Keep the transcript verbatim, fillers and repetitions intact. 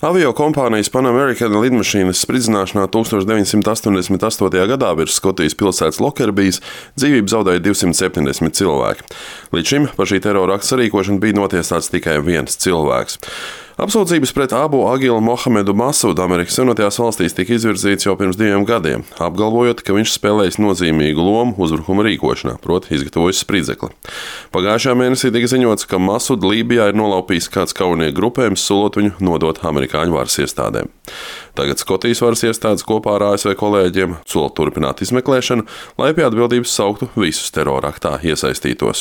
Aviokompānijas Pan American lidmašīnas spridzināšanā tuksneša deviņsimt astoņdesmit astotajā gadā virs Skotijas pilsētas Lokerbijas dzīvību zaudēja divsimt septiņdesmit cilvēki. Līdz šim par šī terora akta sarīkošanu bija notiesāts tikai viens cilvēks. Apsūdzības pret Abu Agilu Mohamedu Masudu Amerikas Savienotajās valstīs tika izvirzīts jau pirms diviem gadiem, apgalvojot, ka viņš spēlējis nozīmīgu lomu uzbrukuma rīkošanā, proti izgatavojis spridzekli. Pagājušajā mēnesī tika ziņots, ka Masudu Lībijā ir nolaupījis kāds kaujinieku grupējums, solot viņu nodot amerikāņu varas iestādēm. Tagad Skotijas varas iestādes kopā ar A S V kolēģiem sola turpināt izmeklēšanu, lai pie atbildības sauktu visus terora aktā iesaistītos.